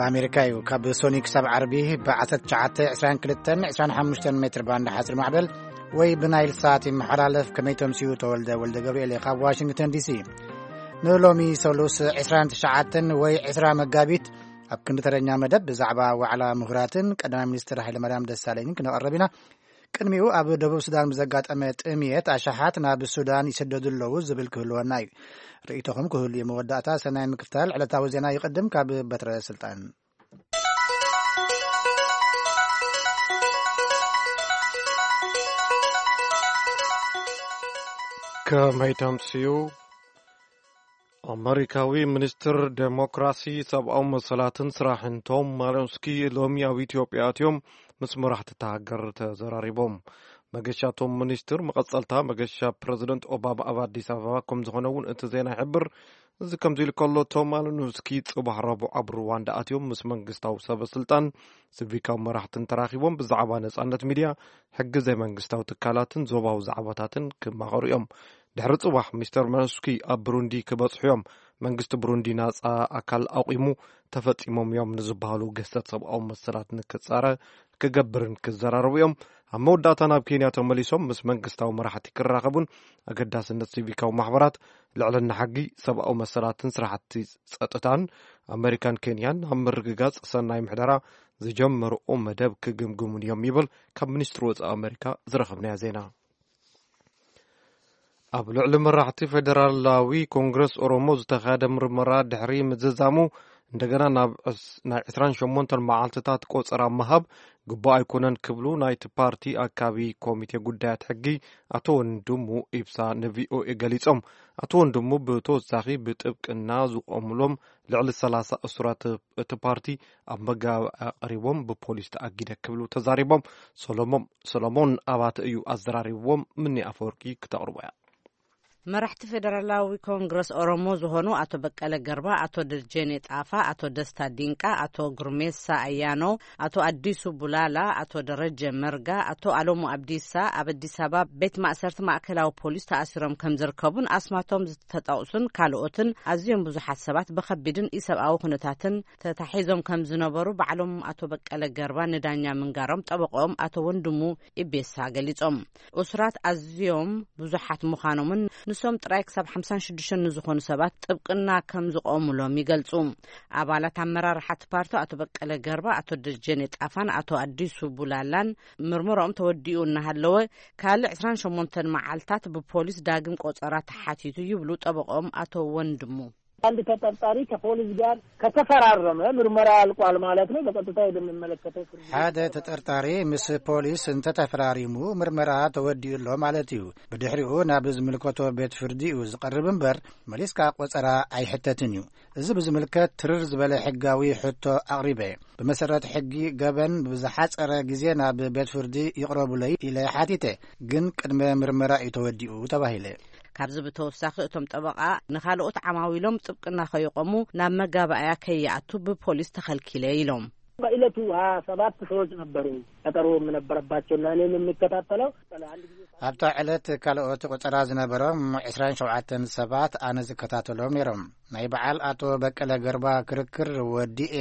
ኣሜሪካ እዩ። ካብ ሶኒ ክሳብ ዓርቢ ብ1922 25 ሜትር ባንድ ሓፂር ማዕበል ወይ ብናይል ሳት ይመሓላለፍ። ከመይ ተምስዩ? ተወልደ ወልደ ገብርኤል እየ ካብ ዋሽንግተን ዲሲ። ንሎሚ ሰሉስ 29 ወይ 20 መጋቢት ኣብ ክንዲ ተረኛ መደብ ብዛዕባ ዋዕላ ምሁራትን ቀዳማይ ሚኒስትር ሃይለማርያም ደሳለኝን ክነቐርብ ኢና። ቅድሚኡ ኣብ ደቡብ ሱዳን ብዘጋጠመ ጥምየት ኣሽሓት ናብ ሱዳን ይስደዱ ኣለዉ ዝብል ክህልወና እዩ። ርእይቶኹም ክህሉ እዩ። መወዳእታ ሰናይ ምክፍታል ዕለታዊ ዜና ይቕድም ካብ በትረ ስልጣን። ከመይ ተምስዩ? ኣመሪካዊ ሚኒስትር ዴሞክራሲ፣ ሰብኣዊ መሰላትን ስራሕን ቶም ማሊኖስኪ ሎሚ ኣብ ኢትዮጵያ ኣትዮም ምስ መራሕቲ እታ ሃገር ተዘራሪቦም። መገሻ ቶም ሚኒስትር መቐጸልታ መገሻ ፕረዚደንት ኦባማ ኣብ ኣዲስ ኣበባ ከም ዝኾነ እውን እቲ ዜና ይሕብር። እዚ ከምዚ ኢሉ ከሎ፣ ቶም ማሊኖስኪ ጽባሕ ረቡዕ ኣብ ሩዋንዳ ኣትዮም ምስ መንግስታዊ ሰበ ስልጣን፣ ሲቪካዊ መራሕትን ተራኺቦም ብዛዕባ ነጻነት ሚድያ፣ ሕጊ ዘይመንግስታዊ ትካላትን ዞባዊ ዛዕባታትን ክማኸሩ እዮም። ድሕሪ ጽባሕ ሚስተር ማሊኖስኪ ኣብ ብሩንዲ ክበጽሑ እዮም። መንግስቲ ብሩንዲ ናጻ ኣካል ኣቑሙ፣ ተፈጺሞም እዮም ንዝበሃሉ ገሰት ሰብኣዊ መሰላት ንክጻረ ክገብርን ክዘራረቡ እዮም። ኣብ መወዳእታ ናብ ኬንያ ተመሊሶም ምስ መንግስታዊ መራሕቲ ክራኸቡን ኣገዳስነት ሲቪካዊ ማሕበራት፣ ልዕልና ሕጊ፣ ሰብኣዊ መሰላትን ስራሕቲ ጸጥታን ኣመሪካን ኬንያን ኣብ ምርግጋጽ ሰናይ ምሕደራ ዝጀመርኦ መደብ ክግምግሙን እዮም ይብል ካብ ሚኒስትሪ ወጻኢ ኣመሪካ ዝረኸብናዮ ዜና። ኣብ ልዕሊ መራሕቲ ፌደራላዊ ኮንግረስ ኦሮሞ ዝተኻየደ ምርመራ ድሕሪ ምዝዛሙ፣ እንደገና ናብ ዕስ-፣ ናይ 28 መዓልትታት ቆጸራ ምሃብ ግቡእ ኣይኮነን ክብሉ ናይቲ ፓርቲ ኣካቢ ኮሚቴ ጉዳያት ሕጊ ኣቶ ወንድሙ ኢብሳ ንቪኦኤ ገሊጾም። ኣቶ ወንድሙ ብተወሳኺ ብጥብቅና ዝቆሙሎም ልዕሊ 30 እሱራት እቲ ፓርቲ ኣብ መጋባእያ ቀሪቦም ብፖሊስ ተኣጊደ ክብሉ ተዛሪቦም። ሰሎሞን፣ ሰሎሞን ኣባተ እዩ ኣዘራሪብዎም። ምኒ ኣፈወርቂ ክተቕርቦ እያ። መራሕቲ ፌደራላዊ ኮንግረስ ኦሮሞ ዝኾኑ ኣቶ በቀለ ገርባ፣ ኣቶ ደጀኔ ጣፋ፣ ኣቶ ደስታ ዲንቃ፣ ኣቶ ጉርሜሳ ኣያኖ፣ ኣቶ ኣዲሱ ቡላላ፣ ኣቶ ደረጀ መርጋ፣ ኣቶ ኣሎሙ ኣብዲሳ ኣብ ኣዲስ ኣበባ ቤት ማእሰርቲ ማእከላዊ ፖሊስ ተኣሲሮም ከም ዝርከቡን ኣስማቶም ዝተጠቕሱን ካልኦትን ኣዝዮም ብዙሓት ሰባት ብኸቢድን ኢሰብኣዊ ኩነታትን ተታሒዞም ከም ዝነበሩ ባዕሎም ኣቶ በቀለ ገርባ ንዳኛ ምንጋሮም ጠበቆም ኣቶ ወንድሙ ኢቤሳ ገሊጾም። እሱራት ኣዝዮም ብዙሓት ምዃኖምን ንሶም ጥራይ ክሳብ ሓምሳን ሽዱሽተን ንዝኾኑ ሰባት ጥብቅና ከም ዝቆሙሎም ይገልጹ። ኣባላት ኣመራርሓ እቲ ፓርቲ ኣቶ በቀለ ገርባ፣ ኣቶ ደጀኔ ጣፋን ኣቶ ኣዲሱ ቡላላን ምርመራኦም ተወዲኡ እናሃለወ ካልእ 28 መዓልታት ብፖሊስ ዳግም ቆጸራ ተሓቲቱ ይብሉ ጠበቆም ኣቶ ወንድሙ። አንድ ተጠርጣሪ ከፖሊስ ጋር ከተፈራረመ ምርመራ አልቋል ማለት ነው። በቀጥታ ወደሚመለከተው ፍርድ ቤት ሓደ ተጠርጣሪ ምስ ፖሊስ እንተተፈራሪሙ ምርመራ ተወዲኡ ኣሎ ማለት እዩ። ብድሕሪኡ ናብ ዝምልከቶ ቤት ፍርዲ እዩ ዝቐርብ እምበር መሊስካ ቆጸራ ኣይሕተትን እዩ። እዚ ብዝምልከት ትርር ዝበለ ሕጋዊ ሕቶ ኣቕሪበ። ብመሰረት ሕጊ ገበን ብዝሓጸረ ግዜ ናብ ቤት ፍርዲ ይቕረቡለይ ኢለ ሓቲተ፣ ግን ቅድመ ምርመራ እዩ ተወዲኡ ተባሂለ። ካብዚ ብተወሳኺ እቶም ጠበቓ ንኻልኦት ዓማዊሎም ጥብቅና ከይቆሙ ናብ መጋባእያ ከይኣቱ ብፖሊስ ተኸልኪለ ኢሎም። በዕለቱ 27 ሰዎች ነበሩ ቀጠሮ የምነበረባቸውና እኔም የሚከታተለው። አንድ ጊዜ ኣብታ ዕለት ካልኦት ቆጸራ ዝነበሮም 27 ሰባት ኣነ ዝከታተሎም ነይሮም። ናይ በዓል ኣቶ በቀለ ገርባ ክርክር ወዲኤ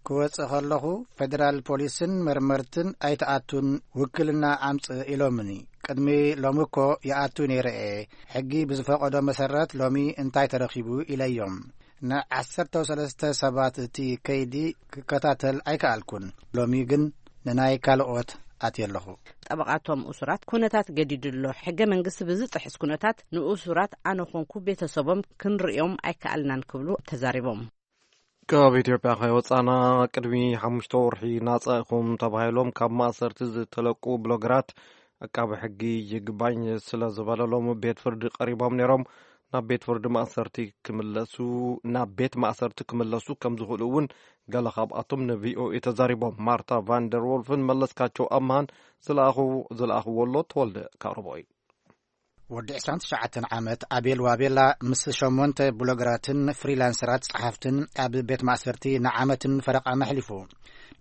ክወጽእ ከለኹ ፌደራል ፖሊስን መርመርትን ኣይተኣቱን፣ ውክልና ኣምጽእ ኢሎምኒ። ቅድሚ ሎሚ እኮ ይኣቱ ነይረ እየ። ሕጊ ብዝፈቐዶ መሰረት ሎሚ እንታይ ተረኺቡ ኢለዮም። ን13 ሰባት እቲ ከይዲ ክከታተል ኣይከኣልኩን። ሎሚ ግን ንናይ ካልኦት ኣትየ ኣለኹ። ጠበቓቶም እሱራት ኩነታት ገዲዱ ኣሎ። ሕገ መንግስቲ ብዝጥሕስ ኩነታት ንእሱራት ኣነ ኮንኩ ቤተሰቦም ክንርእዮም ኣይከኣልናን ክብሉ ተዛሪቦም። ካብ ኢትዮጵያ ከይወጻና ቅድሚ ሓሙሽተ ወርሒ ናጻ ኢኹም ተባሂሎም ካብ ማእሰርቲ ዝተለቁ ብሎገራት ኣቃቢ ሕጊ ይግባኝ ስለ ዝበለሎም ቤት ፍርዲ ቀሪቦም ነይሮም። ናብ ቤት ፍርዲ ማእሰርቲ ክምለሱ፣ ናብ ቤት ማእሰርቲ ክምለሱ ከም ዝኽእሉ እውን ገለ ካብኣቶም ንቪኦኤ ተዛሪቦም። ማርታ ቫንደር ወልፍን መለስካቸው ኣምሃን ዝለኣኹ-፣ ዝለኣኽዎ ኣሎ። ተወልደ ካርቦይ። ወዲ 29 ዓመት ኣቤል ዋቤላ ምስ ሸሞንተ ብሎገራትን ፍሪላንሰራት ጸሓፍትን ኣብ ቤት ማእሰርቲ ንዓመትን ፈረቓን ኣሕሊፉ።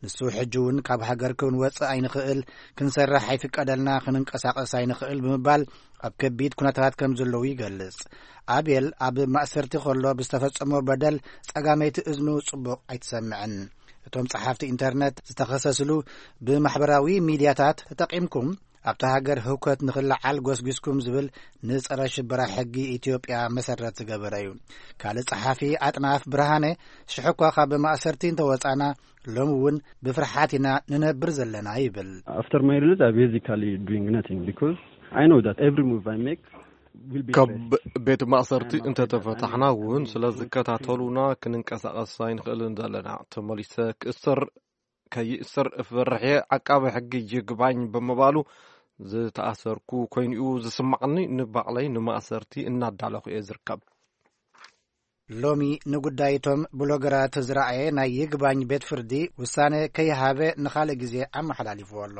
ንሱ ሕጂ እውን ካብ ሃገር ክንወጽእ ኣይንኽእል፣ ክንሰርሕ ኣይፍቀደልና፣ ክንንቀሳቐስ ኣይንኽእል ብምባል ኣብ ከቢድ ኩነታት ከም ዘለዉ ይገልጽ። ኣቤል ኣብ ማእሰርቲ ከሎ ብዝተፈጸሞ በደል ጸጋመይቲ እዝኑ ጽቡቕ ኣይትሰምዕን። እቶም ጸሓፍቲ ኢንተርነት ዝተኸሰስሉ፣ ብማሕበራዊ ሚድያታት ተጠቒምኩም ኣብታ ሃገር ህውከት ንኽለዓል ጎስጒስኩም ዝብል ንጸረ ሽበራ ሕጊ ኢትዮጵያ መሰረት ዝገበረ እዩ። ካልእ ጸሓፊ ኣጥናፍ ብርሃነ፣ ሽሕኳ ካብ ማእሰርቲ እንተወጻና፣ ሎሚ እውን ብፍርሓት ኢና ንነብር ዘለና ይብል። After my release, I basically doing nothing because I know that every move I make will be ካብ traced. ቤት ማእሰርቲ እንተተፈታሕና እውን ስለ ዝከታተሉና ክንንቀሳቐስ ኣይንኽእልን ዘለና። ተመሊሰ ክእሰር ከይእሰር እፈርሕ እየ። ዓቃቢ ሕጊ ይግባኝ ብምባሉ ዝተኣሰርኩ ኮይኑ'ዩ ዝስማዕኒ። ንባዕለይ ንማእሰርቲ እናዳለኹ እየ ዝርከብ። ሎሚ ንጉዳይቶም ብሎገራት ዝረኣየ ናይ ይግባኝ ቤት ፍርዲ ውሳነ ከይሃበ ንኻልእ ግዜ ኣመሓላሊፍዎ ኣሎ።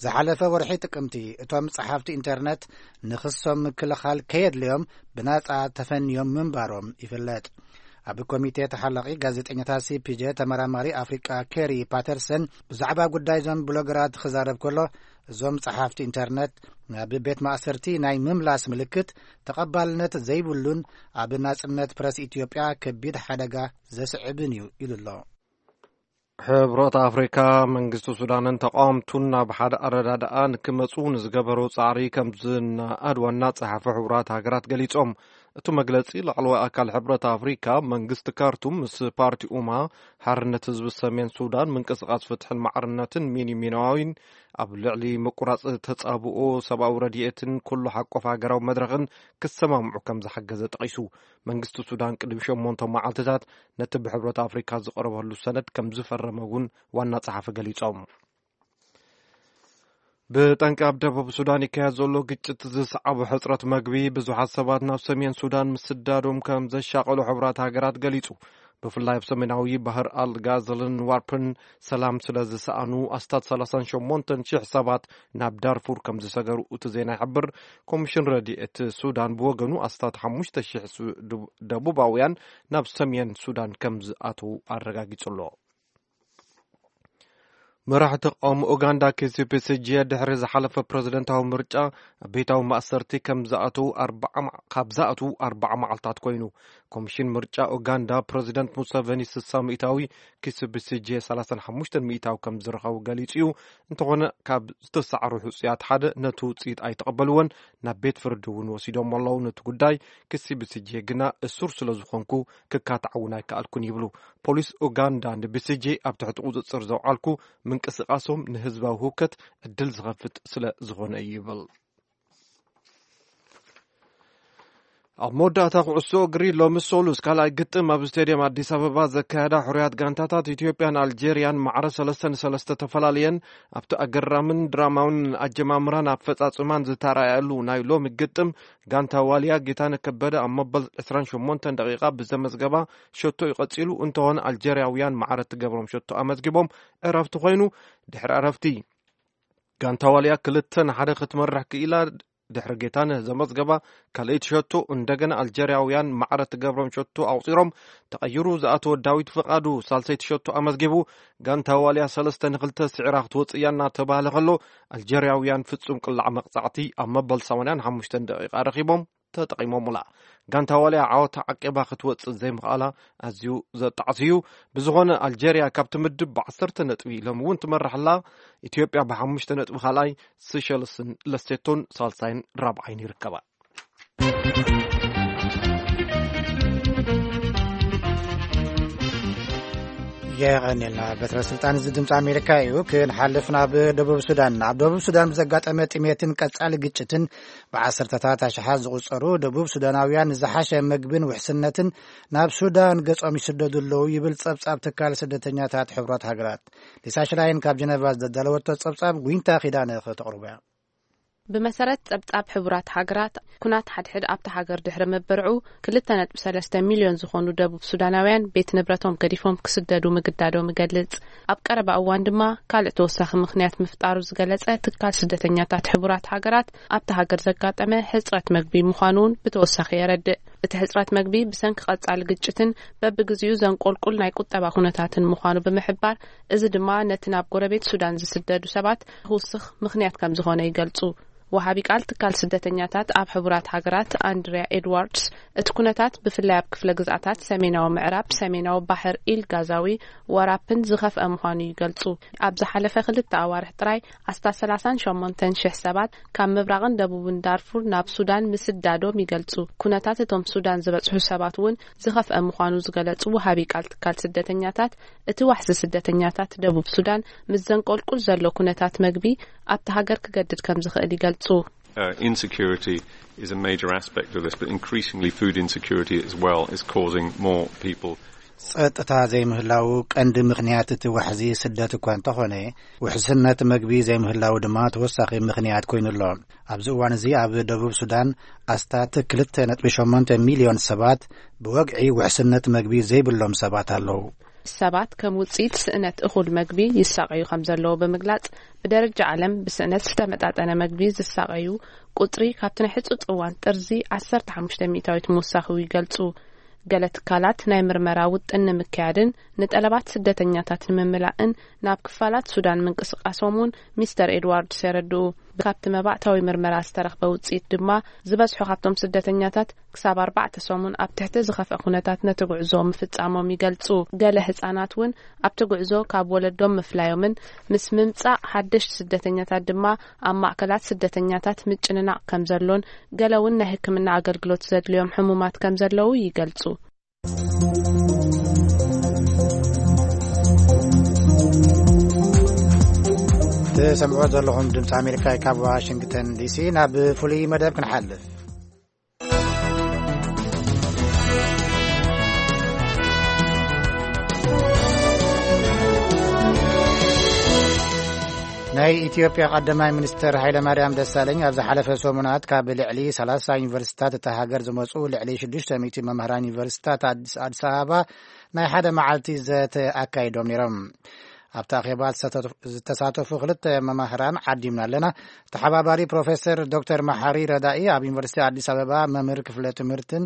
ዝሓለፈ ወርሒ ጥቅምቲ እቶም ጸሓፍቲ ኢንተርነት ንኽሶም ምክልኻል ከየድልዮም ብናጻ ተፈንዮም ምንባሮም ይፍለጥ። ኣብ ኮሚቴ ተሓላቒ ጋዜጠኛታት ሲፒጄ ተመራማሪ ኣፍሪቃ ኬሪ ፓተርሰን ብዛዕባ ጉዳይ እዞም ብሎገራት ክዛረብ ከሎ፣ እዞም ጸሓፍቲ ኢንተርነት ናብ ቤት ማእሰርቲ ናይ ምምላስ ምልክት ተቐባልነት ዘይብሉን ኣብ ናጽነት ፕረስ ኢትዮጵያ ከቢድ ሓደጋ ዘስዕብን እዩ ኢሉ ኣሎ። ሕብረት ኣፍሪካ መንግስቲ ሱዳንን ተቃወምቱን ናብ ሓደ ኣረዳድኣ ንክመፁ ንዝገበሩ ፃዕሪ ከም ዝነኣድ ዋና ፀሓፊ ሕቡራት ሃገራት ገሊፆም። እቲ መግለፂ ላዕለዋይ ኣካል ሕብረት ኣፍሪካ መንግስቲ ካርቱም ምስ ፓርቲ ኡማ ሓርነት ህዝቢ ሰሜን ሱዳን ምንቅስቃስ ፍትሕን ማዕርነትን ሚኒ ሚናዋዊን ኣብ ልዕሊ ምቁራፅ ተፃብኦ ሰብኣዊ ረድኤትን ኩሉ ሓቆፍ ሃገራዊ መድረኽን ክሰማምዑ ከም ዝሓገዘ ጠቒሱ። መንግስቲ ሱዳን ቅድሚ ሸሞንተ መዓልትታት ነቲ ብሕብረት ኣፍሪካ ዝቐረበሉ ሰነድ ከም ዝፈረመ እውን ዋና ጸሓፊ ገሊጾም። ብጠንቂ ኣብ ደቡብ ሱዳን ይካየድ ዘሎ ግጭት ዝሰዓቡ ሕጽረት መግቢ ብዙሓት ሰባት ናብ ሰሜን ሱዳን ምስዳዶም ከም ዘሻቐሉ ሕቡራት ሃገራት ገሊጹ። ብፍላይ ኣብ ሰሜናዊ ባህር ኣልጋዘልን ዋርፕን ሰላም ስለ ዝሰኣኑ ኣስታት ሰላሳን ሸሞንተን ሽሕ ሰባት ናብ ዳርፉር ከም ዝሰገሩ እቲ ዜና ይሕብር። ኮሚሽን ረድኤት ሱዳን ብወገኑ ኣስታት ሓሙሽተ ሽሕ ደቡባውያን ናብ ሰሜን ሱዳን ከም ዝኣተዉ ኣረጋጊጹ ኣሎ። መራሕቲ ተቃውሞ ኡጋንዳ ኪሲፕስጄ ድሕሪ ዝሓለፈ ፕረዚደንታዊ ምርጫ ኣብ ቤታዊ ማእሰርቲ ከም ዝኣተዉ ኣርባዓ መዓ- ካብ ዝኣትዉ ኣርባዓ መዓልታት ኮይኑ። ኮሚሽን ምርጫ ኡጋንዳ ፕረዚደንት ሙሰቨኒ ስሳ ሚእታዊ ኪሲፕስጄ ሰላሳን ሓሙሽተን ሚእታዊ ከም ዝረኸቡ ገሊጹ እዩ። እንተኾነ ካብ ዝተሳዕሩ ሕጹያት ሓደ ነቲ ውጽኢት ኣይተቐበልዎን፣ ናብ ቤት ፍርዲ እውን ወሲዶም ኣለዉ። ነቲ ጉዳይ ኪሲፕስጄ ግና እሱር ስለ ዝኾንኩ ክካታዕ እውን ኣይከኣልኩን ይብሉ። ፖሊስ ኡጋንዳ ንቢሲጂ ኣብ ትሕቲ ቁጽጽር ዘውዓልኩ ምንቅስቃሶም ንህዝባዊ ህውከት ዕድል ዝኸፍት ስለ ዝኾነ እዩ ይብል። ኣብ መወዳእታ ኩዕሶ እግሪ ሎሚ ሶሉስ ካልኣይ ግጥም ኣብ ስቴድየም ኣዲስ ኣበባ ዘካየዳ ሕሩያት ጋንታታት ኢትዮጵያን ኣልጄርያን ማዕረ ሰለስተ ንሰለስተ ተፈላለየን። ኣብቲ ኣገራምን ድራማውን ኣጀማምራን ኣፈጻጽማን ዝተራእየሉ ናይ ሎሚ ግጥም ጋንታ ዋልያ ጌታነ ከበደ ኣብ መበል ዕስራን ሸሞንተን ደቂቓ ብዘመዝገባ ሸቶ እዩ ቀጺሉ። እንተኾነ ኣልጀርያውያን ማዕረ እትገብሮም ሸቶ ኣመዝጊቦም ዕረፍቲ ኮይኑ። ድሕሪ ዕረፍቲ ጋንታ ዋልያ ክልተ ንሓደ ክትመርሕ ክኢላ። ድሕሪ ጌታነህ ዘመዝገባ ካልኣይቲ ሸቶ እንደገና ኣልጀርያውያን ማዕረ እትገብሮም ሸቶ ኣቑጺሮም። ተቐይሩ ዝኣተወ ዳዊት ፍቓዱ ሳልሰይቲ ሸቶ ኣመዝጊቡ። ጋንታ ዋልያ ሰለስተ ንኽልተ ስዒራ ክትወጽእ እያ እናተባህለ ከሎ ኣልጀርያውያን ፍጹም ቅላዕ መቕጻዕቲ ኣብ መበል ሰማንያን ሓሙሽተን ደቂቓ ረኺቦም ተጠቒሞምላ። ጋንታ ዋልያ ዓወታ ዓቂባ ክትወጽእ ዘይምኽኣላ ኣዝዩ ዘጣዕስ እዩ። ብዝኾነ ኣልጀርያ ካብቲ ምድብ ብዓሰርተ ነጥቢ ሎም እውን ትመርሕ ኣላ። ኢትዮጵያ ብሓሙሽተ ነጥቢ ካልኣይ፣ ስሸልስን ለሴቶን ሳልሳይን ራብዓይን ይርከባ። የቐንየልና። በትረ ስልጣን እዚ ድምፂ ኣሜሪካ እዩ። ክንሓልፍ ናብ ደቡብ ሱዳን። ኣብ ደቡብ ሱዳን ብዘጋጠመ ጥሜትን ቀጻሊ ግጭትን ብዓሰርተታት ኣሽሓት ዝቑጸሩ ደቡብ ሱዳናውያን ዝሓሸ ምግብን ውሕስነትን ናብ ሱዳን ገጾም ይስደዱ ኣለዉ ይብል ጸብጻብ ትካል ስደተኛታት ሕቡራት ሃገራት። ሊሳ ሽላይን ካብ ጀነቫ ዘዳለወቶ ጸብጻብ ዊንታ ኪዳነ ከተቕርቦ እያ። ብመሰረት ጸብጻብ ሕቡራት ሃገራት፣ ኩናት ሓድሕድ ኣብታ ሃገር ድሕሪ ምብርዑ፣ ክልተ ነጥቢ ሰለስተ ሚልዮን ዝኾኑ ደቡብ ሱዳናውያን ቤት ንብረቶም ገዲፎም ክስደዱ ምግዳዶም ይገልጽ። ኣብ ቀረባ እዋን ድማ ካልእ ተወሳኺ ምኽንያት ምፍጣሩ ዝገለጸ ትካል ስደተኛታት ሕቡራት ሃገራት፣ ኣብታ ሃገር ዘጋጠመ ሕጽረት መግቢ ምዃኑ እውን ብተወሳኺ የረድእ። እቲ ሕጽረት መግቢ ብሰንኪ ቀጻሊ ግጭትን በብግዜኡ ዘንቆልቁል ናይ ቁጠባ ኩነታትን ምዃኑ ብምሕባር፣ እዚ ድማ ነቲ ናብ ጎረቤት ሱዳን ዝስደዱ ሰባት ክውስኽ ምኽንያት ከም ዝኾነ ይገልጹ። ወሃቢ ቃል ትካል ስደተኛታት ኣብ ሕቡራት ሃገራት ኣንድሪያ ኤድዋርድስ፣ እቲ ኩነታት ብፍላይ ኣብ ክፍለ ግዝኣታት ሰሜናዊ ምዕራብ፣ ሰሜናዊ ባሕር ኢል ጋዛዊ፣ ወራፕን ዝኸፍአ ምዃኑ ይገልጹ። ኣብ ዝሓለፈ ክልተ ኣዋርሕ ጥራይ ኣስታት ሰላሳን ሸሞንተን ሽሕ ሰባት ካብ ምብራቕን ደቡብን ዳርፉር ናብ ሱዳን ምስዳዶም ይገልጹ። ኩነታት እቶም ሱዳን ዝበጽሑ ሰባት እውን ዝኸፍአ ምዃኑ ዝገለጹ ወሃቢ ቃል ትካል ስደተኛታት፣ እቲ ዋሕዚ ስደተኛታት ደቡብ ሱዳን ምስ ዘንቆልቁል ዘሎ ኩነታት መግቢ ኣብቲ ሃገር ክገድድ ከም ዝኽእል ይገልጹ። Uh, insecurity is a major aspect of this, but increasingly food insecurity as well is causing more people. ጸጥታ ዘይምህላው ቀንዲ ምኽንያት እቲ ዋሕዚ ስደት እኳ እንተኾነ፣ ውሕስነት መግቢ ዘይምህላው ድማ ተወሳኺ ምኽንያት ኮይኑ ኣሎ። ኣብዚ እዋን እዚ ኣብ ደቡብ ሱዳን ኣስታት ክልተ ነጥቢ ሸሞንተ ሚልዮን ሰባት ብወግዒ ውሕስነት መግቢ ዘይብሎም ሰባት ኣለዉ። ሰባት ከም ውጽኢት ስእነት እኹል መግቢ ይሳቐዩ ከም ዘለዉ ብምግላጽ፣ ብደረጃ ዓለም ብስእነት ዝተመጣጠነ መግቢ ዝሳቐዩ ቁጽሪ ካብቲ ናይ ሕጹጽ እዋን ጥርዚ ዓሰርተ ሓሙሽተ ሚእታዊት ምውሳኹ ይገልጹ። ገለ ትካላት ናይ ምርመራ ውጥን ንምክያድን ንጠለባት ስደተኛታት ንምምላእን ናብ ክፋላት ሱዳን ምንቅስቃሶም እውን ሚስተር ኤድዋርድስ የረድኡ። ካብቲ መባእታዊ ምርመራ ዝተረኽበ ውጽኢት ድማ፣ ዝበዝሑ ካብቶም ስደተኛታት ክሳብ ኣርባዕተ ሰሙን ኣብ ትሕቲ ዝኸፍአ ኩነታት ነቲ ጉዕዞ ምፍጻሞም ይገልጹ። ገለ ህጻናት እውን ኣብቲ ጉዕዞ ካብ ወለዶም ምፍላዮምን ምስ ምምጻእ ሓደሽቲ ስደተኛታት ድማ ኣብ ማእከላት ስደተኛታት ምጭንናቕ ከም ዘሎን፣ ገለ እውን ናይ ሕክምና ኣገልግሎት ዘድልዮም ሕሙማት ከም ዘለዉ ይገልጹ። ትሰምዑ ዘለኹም ድምፂ ኣሜሪካ ካብ ዋሽንግተን ዲሲ። ናብ ፍሉይ መደብ ክንሓልፍ። ናይ ኢትዮጵያ ቀዳማይ ሚኒስትር ሃይለማርያም ደሳለኝ ኣብ ዝሓለፈ ሰሙናት ካብ ልዕሊ ሰላሳ ዩኒቨርሲታት እታ ሃገር ዝመጹ ልዕሊ ሽዱሽተ ሚእቲ መምህራን ዩኒቨርሲታት ኣዲስ ኣዲስ ኣበባ ናይ ሓደ መዓልቲ ዘተ ኣካይዶም ነይሮም። ኣብቲ ኣኼባ ዝተሳተፉ ክልተ መማህራን ዓዲምና ኣለና። ተሓባባሪ ፕሮፌሰር ዶክተር መሓሪ ረዳኢ ኣብ ዩኒቨርሲቲ ኣዲስ ኣበባ መምህር ክፍለ ትምህርትን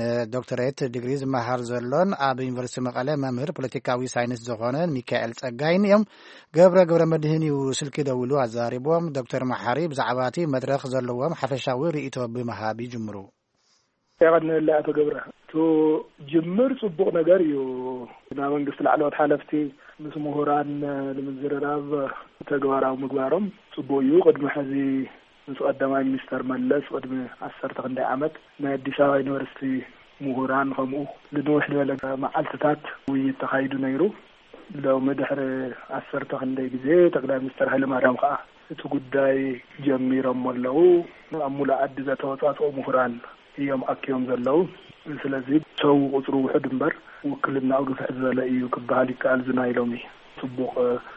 ንዶክተሬት ዲግሪ ዝመሃር ዘሎን ኣብ ዩኒቨርሲቲ መቐለ መምህር ፖለቲካዊ ሳይንስ ዝኾነ ሚካኤል ጸጋይን እዮም። ገብረ ገብረ መድህን እዩ ስልኪ ደዊሉ ኣዛሪቦም። ዶክተር መሓሪ ብዛዕባ እቲ መድረኽ ዘለዎም ሓፈሻዊ ርእይቶ ብምሃብ ይጅምሩ። የቐንየለይ ኣቶ ገብረ። እቲ ጅምር ጽቡቕ ነገር እዩ። ናብ መንግስቲ ላዕለዎት ሓለፍቲ ምስ ምሁራን ንምዝርራብ ተግባራዊ ምግባሮም ጽቡቕ እዩ። ቅድሚ ሕዚ ምስ ቀዳማይ ሚኒስተር መለስ ቅድሚ ዓሰርተ ክንደይ ዓመት ናይ ኣዲስ ኣበባ ዩኒቨርሲቲ ምሁራን ከምኡ ንንውሕ ዝበለ መዓልትታት ውይይት ተኻይዱ ነይሩ። ሎሚ ድሕሪ ዓሰርተ ክንደይ ግዜ ጠቅላይ ሚኒስተር ሃይለማርያም ከኣ እቲ ጉዳይ ጀሚሮሞ ኣለዉ። ኣብ ሙሉእ ዓዲ ዘተወጻጽኦ ምሁራን እዮም ኣኪቦም ዘለዉ። ስለዚ ሰው ቁጽሩ ውሑድ እምበር ውክልናኡ ግፍሕ ዝበለ እዩ ክበሃል ይከኣል። እዚ ናይ ሎሚ ጽቡቕ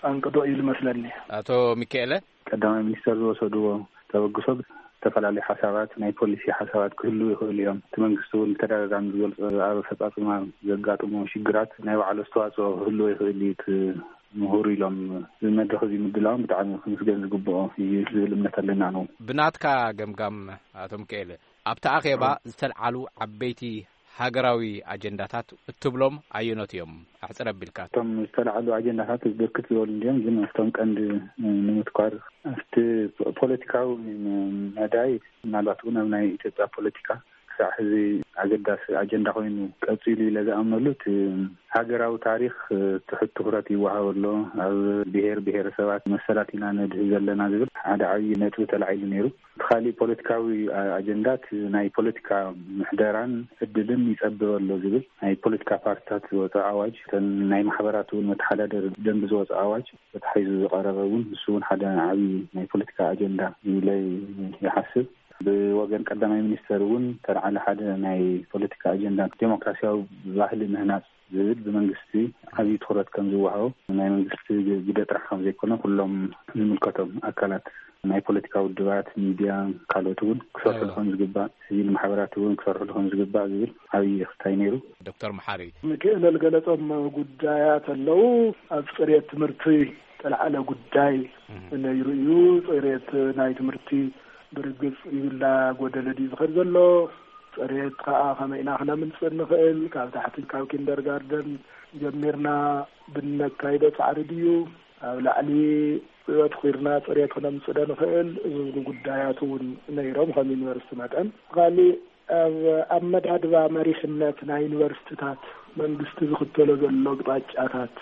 ኣንቅዶ እዩ ዝመስለኒ። ኣቶ ሚካኤለ? ቀዳማይ ሚኒስተር ዝወሰድዎ ተበግሶ ዝተፈላለዩ ሓሳባት፣ ናይ ፖሊሲ ሓሳባት ክህልዉ ይኽእሉ እዮም። እቲ መንግስቲ እውን ብተደጋጋሚ ዝገልጾ ኣብ ኣፈጻጽማ ዘጋጥሞ ሽግራት ናይ ባዕሉ ኣስተዋጽኦ ክህልዎ ይኽእል እዩ። እቲ ምሁር ኢሎም እዚ መድረኽ እዚ ምድላዎም ብጣዕሚ ክምስገን ዝግብኦ እዩ ዝብል እምነት ኣለና ነው። ብናትካ ገምጋም ኣቶ ሚካኤል፣ ኣብቲ ኣኼባ ዝተልዓሉ ዓበይቲ ሃገራዊ ኣጀንዳታት እትብሎም ኣየኖት እዮም? ኣሕጽር ኣቢልካ። እቶም ዝተልዓሉ ኣጀንዳታት ብርክት ዝበሉ እንዲዮም፣ ግን ኣብቶም ቀንዲ ንምትኳር ኣብቲ ፖለቲካዊ መዳይ ምናልባት እውን ኣብ ናይ ኢትዮጵያ ፖለቲካ ክሳዕ ሕዚ ኣገዳሲ ኣጀንዳ ኮይኑ ቀጺሉ ኢለ ዝኣምነሉ እቲ ሃገራዊ ታሪኽ ትሑት ትኹረት ይወሃቦ ኣሎ። ኣብ ብሄር ብሄረሰባት መሰላት ኢና ነድህብ ዘለና ዝብል ሓደ ዓብዪ ነጥቢ ተላዒሉ ነይሩ። እቲ ካሊእ ፖለቲካዊ ኣጀንዳ እቲ ናይ ፖለቲካ ምሕደራን ዕድልን ይጸብብ ኣሎ ዝብል ናይ ፖለቲካ ፓርቲታት ዝወፀ ኣዋጅ፣ እተን ናይ ማሕበራት እውን መተሓዳደሪ ደንቢ ዝወፀ ኣዋጅ ተታሒዙ ዝቐረበ እውን ንሱ እውን ሓደ ዓብዪ ናይ ፖለቲካ ኣጀንዳ ኢለ ይሓስብ። ብወገን ቀዳማይ ሚኒስተር እውን ተልዓለ ሓደ ናይ ፖለቲካ ኣጀንዳ ዴሞክራሲያዊ ባህሊ ምህናፅ ዝብል ብመንግስቲ ዓብዪ ትኹረት ከም ዝወሃቦ ናይ መንግስቲ ግደ ጥራሕ ከም ዘይኮነ ኩሎም ዝምልከቶም ኣካላት ናይ ፖለቲካ ውድባት፣ ሚድያ፣ ካልኦት እውን ክሰርሕሉ ከም ዝግባእ፣ ሲቪል ማሕበራት እውን ክሰርሕሉ ከም ዝግባእ ዝብል ዓብዪ ክስታይ ነይሩ። ዶክተር መሓሪ። ሚካኤል ዝገለጾም ጉዳያት ኣለዉ። ኣብ ጽሬት ትምህርቲ ዝተልዓለ ጉዳይ ነይሩ እዩ። ጽሬት ናይ ትምህርቲ ብርግጽ ይብላ ጎደለ ድዩ ዝኸድ ዘሎ? ጽሬት ከኣ ከመይ ኢና ክነምጽእ ንኽእል? ካብ ታሕቲ ካብ ኪንደርጋርደን ጀሚርና ብነካይዶ ጻዕሪ ድዩ? ኣብ ላዕሊ ኣትኺርና ፅሬት ክነምፅእ ዶ ንኽእል ዝብሉ ጉዳያት እውን ነይሮም። ከም ዩኒቨርሲቲ መጠን ካሊእ ኣብ ኣመዳድባ መሪሕነት ናይ ዩኒቨርሲቲታት መንግስቲ ዝኽተሎ ዘሎ ኣቕጣጫታት፣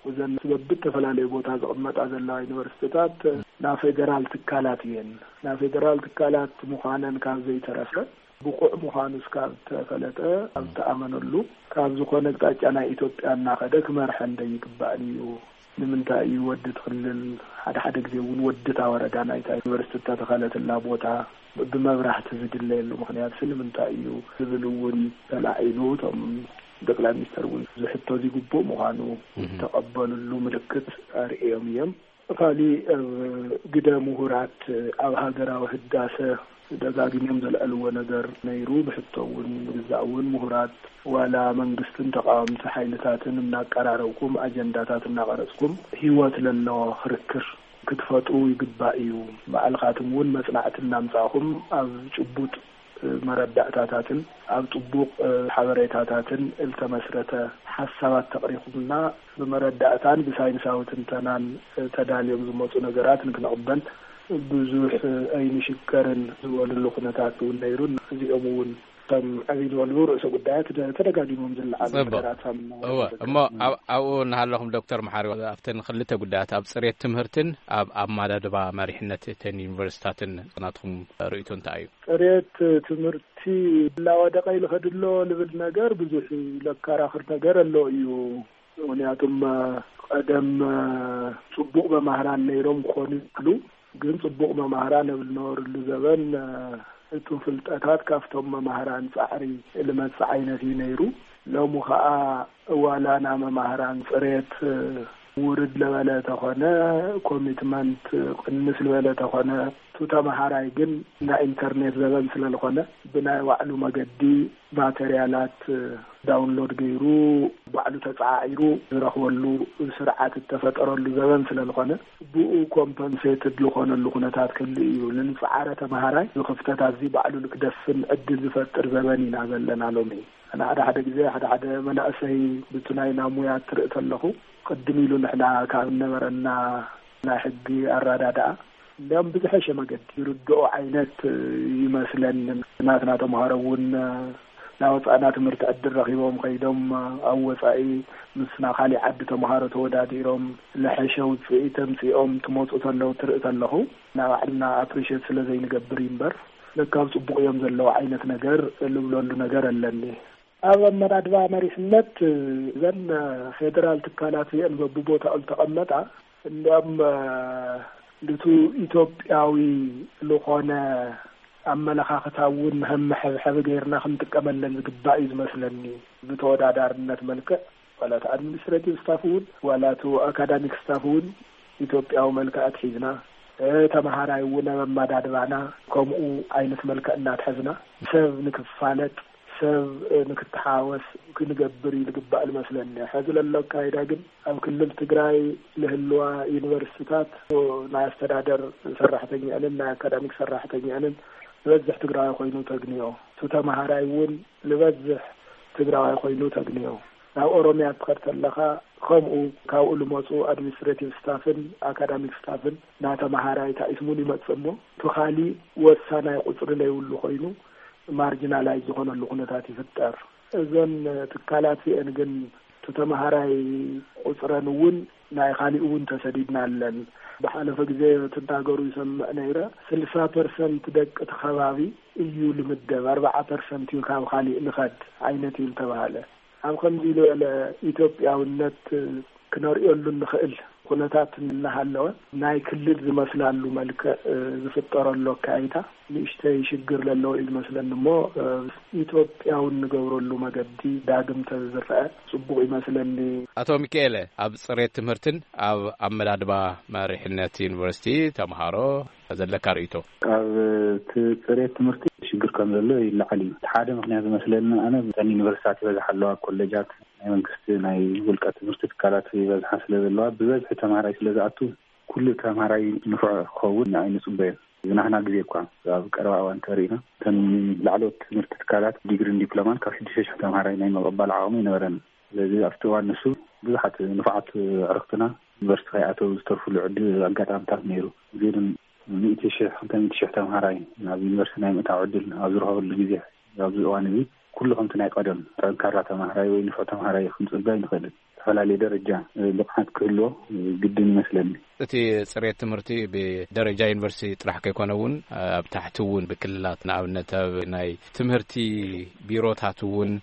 እዘን በብተፈላለዩ ቦታ ዝቕመጣ ዘለዋ ዩኒቨርሲቲታት ናብ ፌደራል ትካላት እየን። ናብ ፌደራል ትካላት ምዃነን ካብ ዘይተረፈ፣ ብቑዕ ምዃኑ እስካብ ተፈለጠ፣ ኣብ ተኣመነሉ፣ ካብ ዝኾነ ኣቕጣጫ ናይ ኢትዮጵያ እናኸደ ክመርሐን ደይግባእን እዩ። ንምንታይ እዩ ወዲ ትኽልል፣ ሓደ ሓደ ግዜ እውን ወዲ እታ ወረዳ ናይታ ዩኒቨርሲቲ እተተኸለትላ ቦታ ብመብራህቲ ዝድለየሉ ምኽንያት ሲ ንምንታይ እዩ ዝብል እውን ተላዒሉ፣ እቶም ጠቅላይ ሚኒስተር እውን ዝሕቶ ዝግቡእ ምዃኑ ዝተቐበሉሉ ምልክት ኣርእዮም እዮም። ካሊእ ኣብ ግደ ምሁራት ኣብ ሃገራዊ ህዳሰ ደጋጊሞም ዘልዐልዎ ነገር ነይሩ። ብሕቶ እውን ብግዛእ እውን ምሁራት ዋላ መንግስትን ተቃወምቲ ሓይልታትን እናቀራረብኩም ኣጀንዳታት እናቐረፅኩም ህይወት ለለዎ ክርክር ክትፈጥሩ ይግባእ እዩ። ባዕልኻትም እውን መፅናዕቲ እናምፃእኹም ኣብ ጭቡጥ መረዳእታታትን ኣብ ጥቡቕ ሓበሬታታትን እልተመስረተ ሓሳባት ተቕሪኹምና ብመረዳእታን ብሳይንሳዊ ትንተናን ተዳልዮም ዝመፁ ነገራት ንክንቕበል ብዙሕ ኣይንሽገርን ዝበሉሉ ኩነታት እውን ነይሩ። እዚኦም እውን ከም ዕብይ ዝበሉ ርእሰ ጉዳያት ተደጋጊሞም ዝለዓሉ ነገራት እሞ ኣብኡ እናሃለኹም ዶክተር መሓሪ ኣብተን ክልተ ጉዳያት ኣብ ፅሬት ትምህርትን ኣብ ኣማዳድባ መሪሕነት እተን ዩኒቨርሲታትን ናትኩም ርእይቶ እንታይ እዩ? ፅሬት ትምህርቲ እናወደቀ ይልኸድሎ ልብል ነገር ብዙሕ ለከራኽር ነገር ኣሎ እዩ። ምክንያቱም ቀደም ፅቡቕ መማህራን ነይሮም ክኾኑ ይኽእሉ፣ ግን ፅቡቕ መማህራን ኣብ ዝነበርሉ ዘበን እቲ ፍልጠታት ካብቶም መማህራን ፃዕሪ ልመፅእ ዓይነት እዩ ነይሩ። ሎሚ ከዓ እዋላና መማህራን ፅሬት ውርድ ለበለ ተኾነ፣ ኮሚትመንት ቅንስ ልበለ ተኾነ፣ ቱ ተማሃራይ ግን ናይ ኢንተርኔት ዘበን ስለልኾነ ብናይ ባዕሉ መገዲ ማተርያላት ዳውንሎድ ገይሩ ባዕሉ ተፀዓዒሩ ዝረኽበሉ ስርዓት እተፈጠረሉ ዘበን ስለልኾነ ብኡ ኮምፐንሴትድ ዝኾነሉ ኩነታት ክህሉ እዩ። ንንፅዓረ ተምሃራይ ዝክፍተታት እዚ ባዕሉ ንክደፍን ዕድል ዝፈጥር ዘበን ኢና ዘለና ሎሚ። ኣነ ሓደ ሓደ ግዜ ሓደ ሓደ መናእሰይ ብቲ ናይ ናሙያ ትርኢ ተለኹ ቅድም ኢሉ ንሕና ካብ እነበረና ናይ ሕጊ ኣራዳድኣ እንዲያም ብዝሐሸ መገዲ ይርድኦ ዓይነት ይመስለኒ። ናትና ተምሃሮ እውን ናወፃእና ትምህርቲ ዕድል ረኺቦም ከይዶም ኣብ ወፃኢ ምስና ካሊእ ዓዲ ተምሃሮ ተወዳዲሮም ለሐሸ ውፅኢት ተምፂኦም ትመፁ ተለው ትርኢ ተለኹ ናባዕልና ኣፕሪሽት ስለ ዘይንገብር እዩ እምበር ለካብ ፅቡቅ እዮም ዘለዉ ዓይነት ነገር ልብለሉ ነገር ኣለኒ። ኣብ ኣመዳድባ መሪሕነት እዘን ፌደራል ትካላት እዚአን በብቦታኡ ዝተቐመጣ እንዲያም ልቱ ኢትዮጵያዊ ዝኾነ ኣመለኻኽታ እውን መሐብሐቢ ገይርና ክንጥቀመለን ዝግባእ እዩ ዝመስለኒ። ብተወዳዳርነት መልክዕ ዋላ እቲ ኣድሚኒስትሬቲቭ ስታፍ እውን ዋላ እቲ ኣካዳሚክ ስታፍ እውን ኢትዮጵያዊ መልክዕ ኣትሒዝና ተምሃራይ እውን ኣብ ኣመዳድባና ከምኡ ዓይነት መልክዕ እናትሐዝና ሰብ ንክፋለጥ ሰብ ንክተሓወስ ክንገብር እዩ ዝግባእ ዝመስለኒ። ሕዚ ለሎ ኣካይዳ ግን ኣብ ክልል ትግራይ ልህልዋ ዩኒቨርሲቲታት ናይ ኣስተዳደር ሰራሕተኛንን ናይ ኣካዳሚክ ሰራሕተኛንን ዝበዝሕ ትግራዊ ኮይኑ ተግንዮ። እቲ ተምሃራይ እውን ዝበዝሕ ትግራዋይ ኮይኑ ተግንዮ። ናብ ኦሮምያ ትኸድ ተለኻ ከምኡ ካብኡ ልመፁ ኣድሚኒስትሬቲቭ ስታፍን ኣካዳሚክ ስታፍን ናተምሃራይ ታኢስሙን ይመፅእ እሞ እቲ ካሊእ ወሳናይ ቁፅሪ ለይብሉ ኮይኑ ማርጂናላይዝ ዝኾነሉ ኩነታት ይፍጠር። እዘን ትካላት እዚአን ግን እቲ ተምሃራይ ቁፅረን እውን ናይ ካሊእ እውን ተሰዲድና ኣለን። ብሓለፈ ግዜ ትናገሩ ይሰምዕ ነይረ። ስልሳ ፐርሰንት ደቂ እቲ ከባቢ እዩ ልምደብ፣ ኣርባዓ ፐርሰንት እዩ ካብ ካሊእ ልኸድ ዓይነት እዩ ልተባሃለ። ኣብ ከምዚ ዝበለ ኢትዮጵያውነት ክነርእየሉ እንኽእል ኩነታት እናሃለወ ናይ ክልል ዝመስላሉ መልክዕ ዝፍጠረሉ ኣካይታ ንእሽተይ ሽግር ለለዎ እዩ ዝመስለኒ እሞ ኢትዮጵያውን ንገብረሉ መገዲ ዳግም ተዝረአ ጽቡቕ ይመስለኒ። ኣቶ ሚካኤለ፣ ኣብ ጽሬት ትምህርትን ኣብ ኣመዳድባ መሪሕነት ዩኒቨርሲቲ ተምሃሮ ዘለካ ርእይቶ? ኣብ እቲ ጽሬት ትምህርቲ ሽግር ከም ዘሎ ይለዓል እዩ። እቲ ሓደ ምኽንያት ዝመስለኒ ኣነ እተን ዩኒቨርሲታት ይበዝሓ ኣለዋ፣ ኮሌጃት ናይ መንግስቲ ናይ ውልቀ ትምህርቲ ትካላት ይበዝሓ ስለ ዘለዋ ብበዝሒ ተምሃራይ ስለ ዝኣቱ ኩሉ ተምሃራይ ንፉዕ ክኸውን ኣይንጽበዮን። ዝናህና ግዜ እኳ ኣብ ቀረባ እዋን ተሪእና እተን ላዕለዎት ትምህርቲ ትካላት ዲግሪን ዲፕሎማን ካብ ሽዱሽተ ሽሕ ተምሃራይ ናይ ምቕባል ዓቕሚ ይነበረን። ስለዚ ኣብቲ እዋን ንሱ ብዙሓት ንፉዓት ኣዕርኽትና ዩኒቨርሲቲ ከይኣተው ዝተርፉሉ ዕድል ኣጋጣሚታት ነይሩ። እዚ ግን ሚእቲ ሽሕ፣ ክልተ ሚእቲ ሽሕ ተምሃራይ ናብ ዩኒቨርሲቲ ናይ ምእታው ዕድል ኣብ ዝረኸበሉ ግዜ፣ ኣብዚ እዋን እዚ ኩሉ ከምቲ ናይ ቀደም ጠንካራ ተምሃራይ ወይ ንፉዕ ተምሃራይ ክንጽበ ኣይንኽእልን። ዝተፈላለየ ደረጃ ብቕዓት ክህልዎ ግድን ይመስለኒ። እቲ ጽሬት ትምህርቲ ብደረጃ ዩኒቨርሲቲ ጥራሕ ከይኮነ እውን ኣብ ታሕቲ እውን ብክልላት፣ ንኣብነት ኣብ ናይ ትምህርቲ ቢሮታት እውን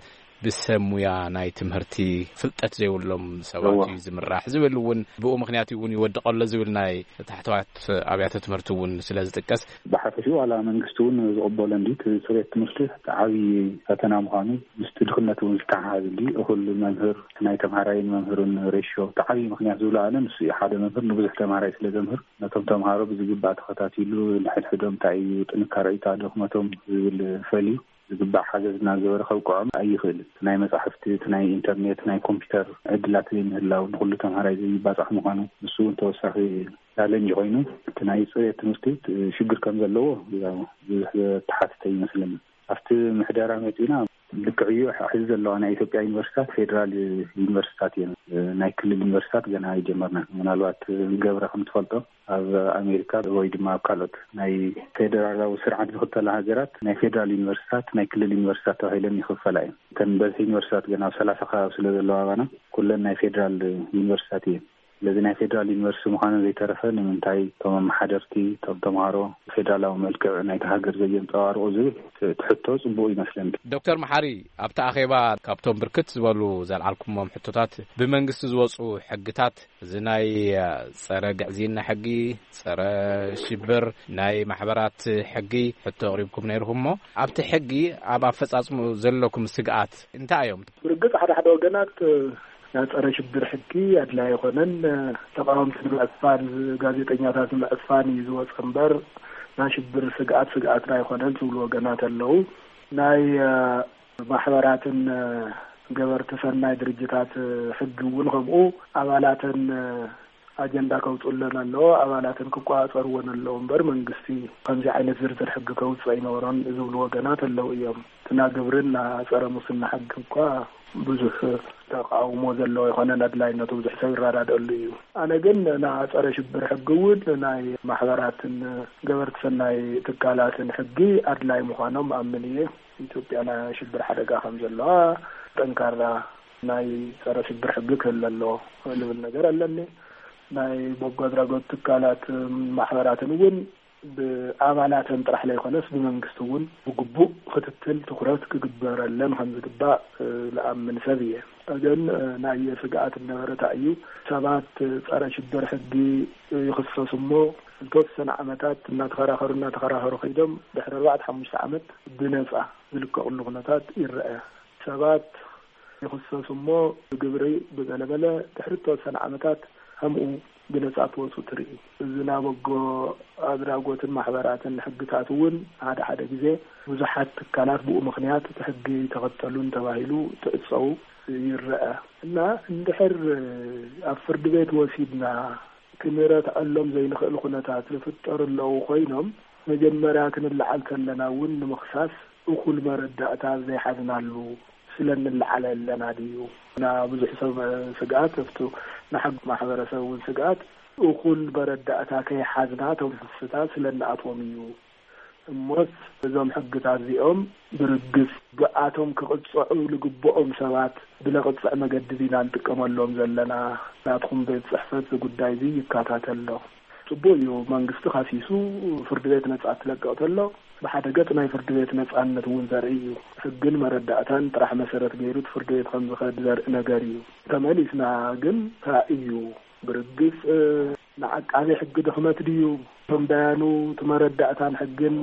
ብሰብ ሙያ ናይ ትምህርቲ ፍልጠት ዘይብሎም ሰባት እዎ። እዩ ዝምራሕ ዝብል እውን ብኡ ምኽንያት እውን ይወድቕ ኣሎ ዝብል ናይ ታሕተዋት ኣብያተ ትምህርቲ እውን ስለ ዝጥቀስ። ብሓፈሽኡ ዋላ መንግስቲ እውን ዝቕበሎ እንዲ እቲ ጽሬት ትምህርቲ እቲ ዓብዪ ፈተና ምዃኑ ምስቲ ድኽነት እውን ዝተሓሓዝ እንዲ እኹል መምህር ናይ ተምሃራይን መምህርን ሬሽዮ እቲ ዓብዪ ምኽንያት ዝብሎ ኣነ ንሱ እዩ። ሓደ መምህር ንብዙሕ ተምሃራይ ስለ ዘምህር ነቶም ተምሃሮ ብዝግባእ ተኸታቲሉ ንሕድሕዶም እንታይ እዩ ጥንካረ እዩ ድኽመቶም ዝብል ፈልዩ ዝግባእ ሓገዝ እናገበረ ከብቅዖም ኣይኽእልን። እቲ ናይ መጻሕፍቲ፣ እቲ ናይ ኢንተርኔት፣ ናይ ኮምፒውተር ዕድላት ዘይምህላው ንኹሉ ተምሃራይ ዘይባጻሕ ምዃኑ ንሱ እውን ተወሳኺ ቻለንጅ ኮይኑ እቲ ናይ ጽሬት ትምህርቲ ሽግር ከም ዘለዎ ያው ብዙሕ ዘተሓትተ ይመስለኒ። ኣብቲ ምሕደራ መጺና ልክዕ እዩ። ሕዚ ዘለዋ ናይ ኢትዮጵያ ዩኒቨርሲታት ፌዴራል ዩኒቨርሲታት እየን። ናይ ክልል ዩኒቨርሲታት ገና ኣይጀመርናን። ምናልባት ገብረ ከም ትፈልጦ ኣብ ኣሜሪካ ወይ ድማ ኣብ ካልኦት ናይ ፌዴራላዊ ስርዓት ዝኽተላ ሃገራት ናይ ፌዴራል ዩኒቨርሲታት ናይ ክልል ዩኒቨርሲታት ተባሂለን ይኽፈላ እየን። እተን በዝሒ ዩኒቨርሲታት ገና ኣብ ሰላሳ ከባቢ ስለ ዘለዋ ኣባና ኩለን ናይ ፌዴራል ዩኒቨርሲታት እየን። ስለዚ ናይ ፌዴራል ዩኒቨርሲቲ ምዃኑ ዘይተረፈ ንምንታይ እቶም ኣመሓደርቲ እቶም ተምሃሮ ፌዴራላዊ መልክዕ ናይቲ ሃገር ዘየንፀባርቑ ዝብል እቲ ሕቶ ፅቡቕ ይመስለኒ። ዶክተር መሓሪ፣ ኣብቲ ኣኼባ ካብቶም ብርክት ዝበሉ ዘልዓልኩሞም ሕቶታት ብመንግስቲ ዝወፁ ሕግታት እዚ ናይ ጸረ ግዕዝይና ሕጊ፣ ጸረ ሽብር፣ ናይ ማሕበራት ሕጊ ሕቶ ኣቕሪብኩም ነይርኩም እሞ ኣብቲ ሕጊ ኣብ ኣፈጻጽሙ ዘለኩም ስግኣት እንታይ እዮም? ብርግጽ ሓደ ሓደ ወገናት ናይ ጸረ ሽብር ሕጊ ኣድላይ ኣይኮነን፣ ተቃወምቲ ንምዕፋን፣ ጋዜጠኛታት ንምዕፋን እዩ ዝወጸ እምበር ናይ ሽብር ስግኣት ስግኣትና ኣይኮነን ዝብሉ ወገናት ኣለዉ። ናይ ማሕበራትን ገበርቲ ሰናይ ድርጅታት ሕጊ እውን ከምኡ ኣባላተን ኣጀንዳ ከውፅለን ኣለዎ፣ ኣባላተን ክቆፃፀርወን ኣለዎ እምበር መንግስቲ ከምዚ ዓይነት ዝርዝር ሕጊ ከውፅእ ኣይነበሮን ዝብሉ ወገናት ኣለዉ እዮም። እቲ ናይ ግብርን ናይ ፀረ ሙስና ሕጊ እኳ ብዙሕ ተቃውሞ ዘለዎ ኣይኮነን፣ ኣድላይነቱ ብዙሕ ሰብ ይረዳደኣሉ እዩ። ኣነ ግን ናይ ፀረ ሽብር ሕጊ እውን ናይ ማሕበራትን ገበርቲ ሰናይ ትካላትን ሕጊ ኣድላይ ምዃኖም ኣምን እየ። ኢትዮጵያ ናይ ሽብር ሓደጋ ከም ዘለዋ ጠንካራ ናይ ጸረ ሽብር ሕጊ ክህለ ኣለዎ ልብል ነገር ኣለኒ። ናይ በጎ ኣድራጎት ትካላት ማሕበራትን እውን ብኣባላተን ጥራሕ ዘይኮነስ ብመንግስቲ እውን ብግቡእ ክትትል ትኩረት ክግበረለን ከም ዝግባእ ዝኣምን ሰብ እየ። ግን ናይ ስግኣት ነበረታ እዩ። ሰባት ጸረ ሽብር ሕጊ ይኽሰሱ እሞ ዝተወሰነ ዓመታት እናተኸራኸሩ እናተኸራኸሩ ከይዶም ድሕሪ ኣርባዕተ ሓሙሽተ ዓመት ብነጻ ዝልቀቕሉ ኩነታት ይረአ። ሰባት ይኽሰሱ እሞ ብግብሪ ብገለመለ ድሕሪ ዝተወሰነ ዓመታት ከምኡ ብነጻ ክወፁ ትርኢ። እዚ ናይ በጎ ኣድራጎትን ማሕበራትን ሕግታት እውን ሓደ ሓደ ግዜ ብዙሓት ትካላት ብኡ ምኽንያት እቲ ሕጊ ተኸተሉን ተባሂሉ ትዕፀው ይረአ እና እንድሕር ኣብ ፍርዲ ቤት ወሲድና ክንረትዐሎም ዘይንኽእል ኩነታት ዝፍጠሩ ኣለዉ ኮይኖም መጀመርያ ክንለዓል ከለና እውን ንምኽሳስ እኹል መረዳእታ ዘይሓዝናሉ ስለ እንለዓለ ኣለና ድዩ? ና ብዙሕ ሰብ ስግኣት እፍቱ ንሓግ ማሕበረሰብ እውን ስግኣት እኹል መረዳእታ ከይሓዝና እቶም ክስታት ስለ እንኣትዎም እዩ። እሞስ እዞም ሕግታት እዚኦም ብርግጽ ብኣቶም ክቕጽዑ ዝግብኦም ሰባት ብለቕጽዕ መገዲ ዲና ንጥቀመሎም ዘለና? ናትኩም ቤት ጽሕፈት እዚ ጉዳይ እዚ ይከታተል ዶ? ጽቡቕ እዩ፣ መንግስቲ ካሲሱ ፍርዲ ቤት ነጻ ትለቅቕ ተሎ ብሓደ ገጽ ናይ ፍርዲ ቤት ነጻነት እውን ዘርኢ እዩ። ሕግን መረዳእታን ጥራሕ መሰረት ገይሩ እቲ ፍርዲ ቤት ከም ዝኸድ ዘርኢ ነገር እዩ። ተመሊስና ግን እንታይ እዩ ብርግጽ ንዓቃቢ ሕጊ ድኽመት ድዩ? እቶም ዳያኑ እቲ መረዳእታን ሕግን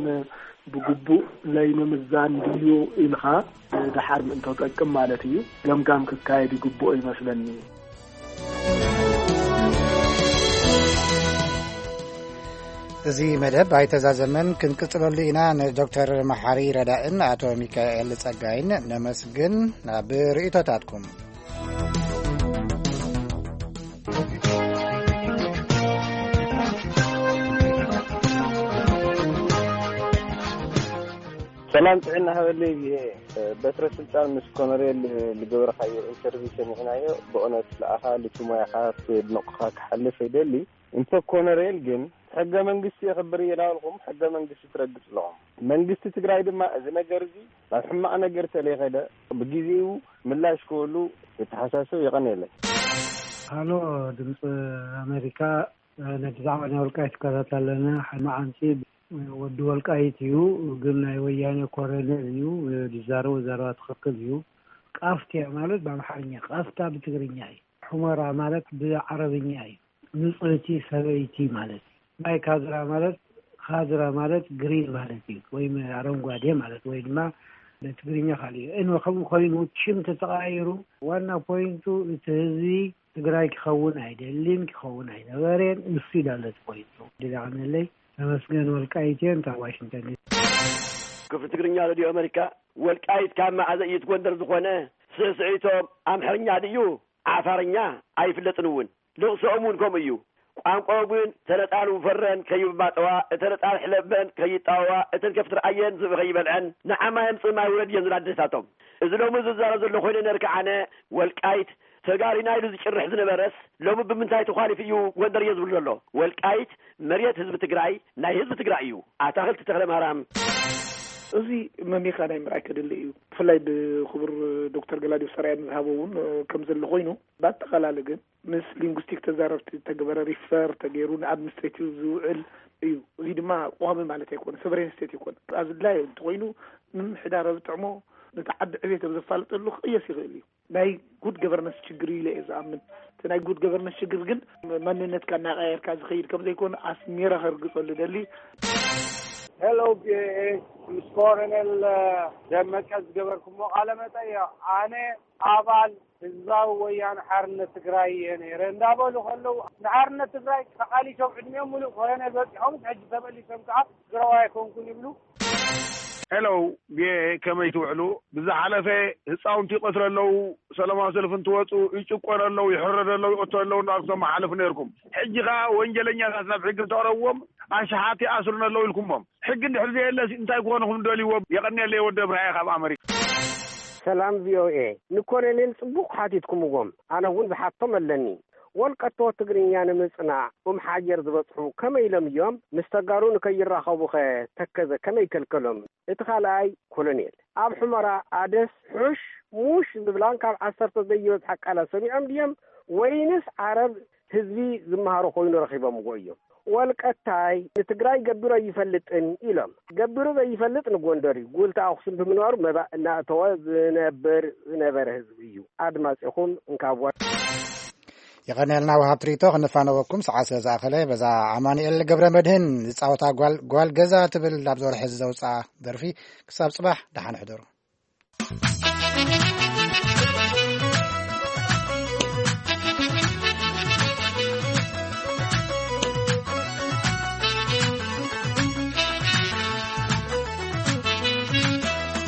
ብግቡእ ለይምምዛን ድዩ ኢልካ ድሓር ምእንቶ ጠቅም ማለት እዩ ገምጋም ክካየድ ይግብኦ ይመስለኒ። እዚ መደብ ኣይተዛዘመን፣ ክንቅጽለሉ ኢና። ንዶክተር መሓሪ ረዳእን ኣቶ ሚካኤል ጸጋይን ነመስግን። ናብ ርእይቶታትኩም። ሰላም ጥዕና ሃበለይ። ብሄ በትረ ስልጣን ምስ ኮነሬል ዝገበርካዮ ኢንተርቪው ሰሚዕናዮ። ብእውነት ለኣኻ ልቲ ሞያኻ የድንቑኻ ክሓልፍ ይደሊ። እንተ ኮነሬል ግን ሕገ መንግስቲ የኽብር እየ እናበልኩም ሕገ መንግስቲ ትረግጽ ኣለኹም። መንግስቲ ትግራይ ድማ እዚ ነገር እዚ ናብ ሕማቕ ነገር ተለይኸደ ብግዜኡ ምላሽ ክህሉ የተሓሳስብ። የቐንየለይ። ሃሎ፣ ድምፂ ኣሜሪካ። ነቲ ዛዕባ ናይ ወልቃይት ይከታተል ኣለና። ሓደ መዓልቲ ወዲ ወልቃይት እዩ፣ ግን ናይ ወያነ ኮረኔል እዩ። ዝዛረቦ ዘረባ ትኽክል እዩ። ቃፍትያ ማለት ብኣምሓርኛ፣ ቃፍታ ብትግርኛ እዩ። ሑመራ ማለት ብዓረብኛ እዩ። ንጽህቲ ሰበይቲ ማለት እዩ። ናይ ካድራ ማለት፣ ካድራ ማለት ግሪን ማለት እዩ፣ ወይም ኣረንጓዴ ማለት፣ ወይ ድማ ትግርኛ ካልእ እዩ። እነ ከምኡ ኮይኑ ሽም ተተቐያይሩ፣ ዋና ፖይንቱ እቲ ህዝቢ ትግራይ ክኸውን ኣይደልን፣ ክኸውን ኣይነበረን። እሱ ይዳለት ኮይኑ ድጋዕነለይ ተመስገን ወልቃይቴን ካብ ዋሽንግተን ዲሲ። ክፍሊ ትግርኛ ሬድዮ ኣሜሪካ። ወልቃይት ካብ መዓዘ እዩ ትጎንደር ዝኾነ? ስዕስዒቶም ኣምሐርኛ ድዩ ዓፋርኛ? ኣይፍለጥን እውን። ልቕሶኦም እውን ከምኡ እዩ። ቋንቋ እውን ተነጻሉ ፈረን ከይባጠዋ፣ እተነጻል ሕለበን ከይጣወዋ፣ እተን ከፍቲ ረኣየን ዝብኢ ከይበልዐን፣ ንዓማ የምጽእ ማይ ውረድ እየን ዝብላ ኣዴታቶም። እዚ ሎሚ ዝዛረብ ዘሎ ኮይነ ነርካ ኣነ ወልቃይት ተጋሪና ኢሉ ዝጭርሕ ዝነበረስ ሎሚ ብምንታይ ተዃሊፉ እዩ ጎንደር እየ ዝብል ዘሎ? ወልቃይት መሬት ህዝቢ ትግራይ ናይ ህዝቢ ትግራይ እዩ። ኣታኽልቲ ተኽለ ማርያም። እዚ መሚኻ ናይ ምርኣይ ከድሊ እዩ። ብፍላይ ብክቡር ዶክተር ገላዲዮስ ኣርኣያ ንዝሃቦ እውን ከም ዘሎ ኮይኑ፣ ብኣጠቓላሊ ግን ምስ ሊንጉስቲክ ተዛረብቲ ተገበረ ሪፈር ተገይሩ ንኣድሚኒስትሬቲቭ ዝውዕል እዩ። እዚ ድማ ቋሚ ማለት ኣይኮነ፣ ሰቨሬን ስቴት ኣይኮነ። ኣዝድላይ እንተኮይኑ ንምምሕዳር ኣብ ጥዕሞ ነቲ ዓዲ ዕቤት ኣብ ዘፋልጠሉ ክቕየስ ይኽእል እዩ። ናይ ጉድ ገቨርነንስ ችግር እዩ ኢለ እየ ዝኣምን። እቲ ናይ ጉድ ገቨርነንስ ችግር ግን ማንነትካ እናቀያየርካ ዝኸይድ ከም ዘይኮነ ኣስሚረ ከርግጸሉ ደሊ። ሄሎ፣ ቪኦኤ፣ ምስ ኮረኔል ደመቀ ዝገበርኩሞ ቃለ መጠይቕ፣ ኣነ ኣባል ህዝባዊ ወያነ ሓርነት ትግራይ እየ ነይረ እንዳበሉ ከለዉ፣ ንሓርነት ትግራይ ተቓሊሶም ዕድሚኦም ሙሉእ ኮረኔል በፂሖምስ፣ ሕጂ ተመሊሶም ከዓ ትግራዋይ ኣይኮንኩን ይብሉ። ሄሎ፣ ቪኦኤ፣ ከመይ ትውዕሉ? ብዝሓለፈ ህፃውንቲ ይቐትሉ ኣለዉ፣ ሰላማዊ ሰልፊ እንትወፁ ይጭቆኑ ኣለዉ፣ ይሕረዱ ኣለዉ፣ ይቐተሉ ኣለዉ እንዳበልኩም ተመሓላልፉ ነይርኩም። ሕጂ ኸዓ ወንጀለኛታት ናብ ሕጊ እንተቕረብዎም ኣሽሓት ይኣስሩና ኣለዉ ኢልኩሞም። ሕጊ እንድሕር ዘየለስ እንታይ ክኾኑኹም ደልይዎም? የቐንየለይ ወዲ እብራሂ ካብ ኣመሪካ። ሰላም ቪኦኤ፣ ንኮሎኔል ጽቡቕ ሓቲትኩምዎም። ኣነ እውን ዝሓቶም ኣለኒ። ወልቀቶ ትግርኛ ንምጽናዕ ኡም ሓጀር ዝበጽሑ ከመይ ኢሎም እዮም? ምስ ተጋሩ ንከይራኸቡኸ ተከዘ ከመይ ከልከሎም? እቲ ካልኣይ ኮሎኔል ኣብ ሑመራ ኣደስ ሑሽ ሙሽ ዝብላን ካብ ዓሰርተ ዘይበዝሓ ቃላት ሰሚዖም ድዮም? ወይንስ ዓረብ ህዝቢ ዝመሃሮ ኮይኑ ረኺቦምዎ እዮም? ወልቀታይ ንትግራይ ገቢሩ ኣይፈልጥን ኢሎም። ገቢሩ ዘይፈልጥ ንጎንደር እዩ። ጉልቲ ኣኽሱም ብምንባሩ መባእ እናእተወ ዝነብር ዝነበረ ህዝቢ እዩ። ኣድማጺኹም እንካብ ወ- የቐንየልና ወሃብ ትርኢቶ። ክንፋነወኩም ሰዓት ስለ ዝኣኸለ በዛ ኣማኑኤል ገብረ መድህን ዝጻወታ ጓል፣ ጓል ገዛ ትብል ኣብ ዝወርሒ እዚ ዘውፅኣ ደርፊ። ክሳብ ጽባሕ ደሓን ሕደሩ።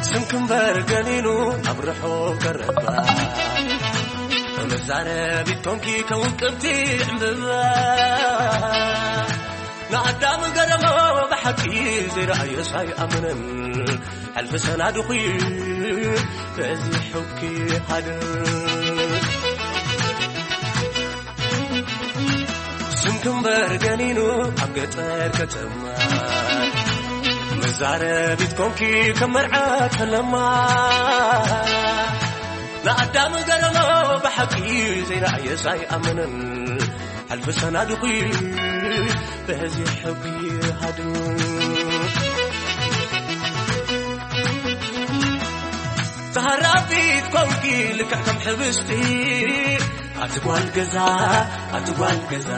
ስምኪ እምበር ገኒኑ ኣብ ርሑቕ ቀረባ፣ መዛረቢት ኮንኪ ከውቅብቲ ዕምብባ። ንኣዳም ገረሞ ብሓቂ ዘይረኣዮስ ኣይኣምንን፣ ሕልፊ ሰናድኹ በዚሑኪ ሃድር። ስምኪ እምበር ገኒኑ ኣብ ገጠር ከተማ፣ መዛረቢት ኮንኪ ከም መርዓ ከለማ። ንኣዳም ገረሞ ብሓቂ ዘይረኣየስ ኣይኣምንን፣ ሕልፊ ሰናድኹ በዚሑኪ ሃድር። ተሃራፊት ኮንኪ ልክዕ ከም ሕብስቲ፣ ኣቲ ጓል ገዛ፣ ኣቲ ጓል ገዛ።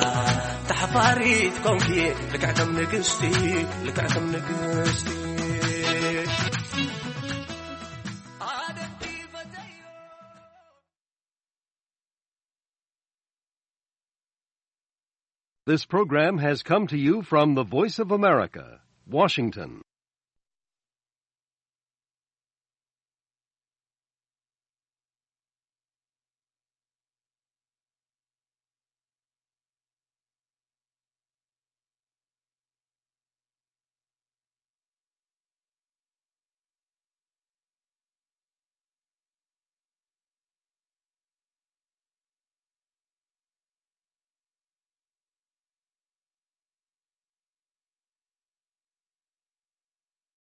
ተሓፋሪት ኮንኪ ልክዕ ከም ንግስቲ፣ ልክዕ ከም ንግስቲ። ኣደንኪ ፈተዮ። This program has come to you from the Voice of America, Washington.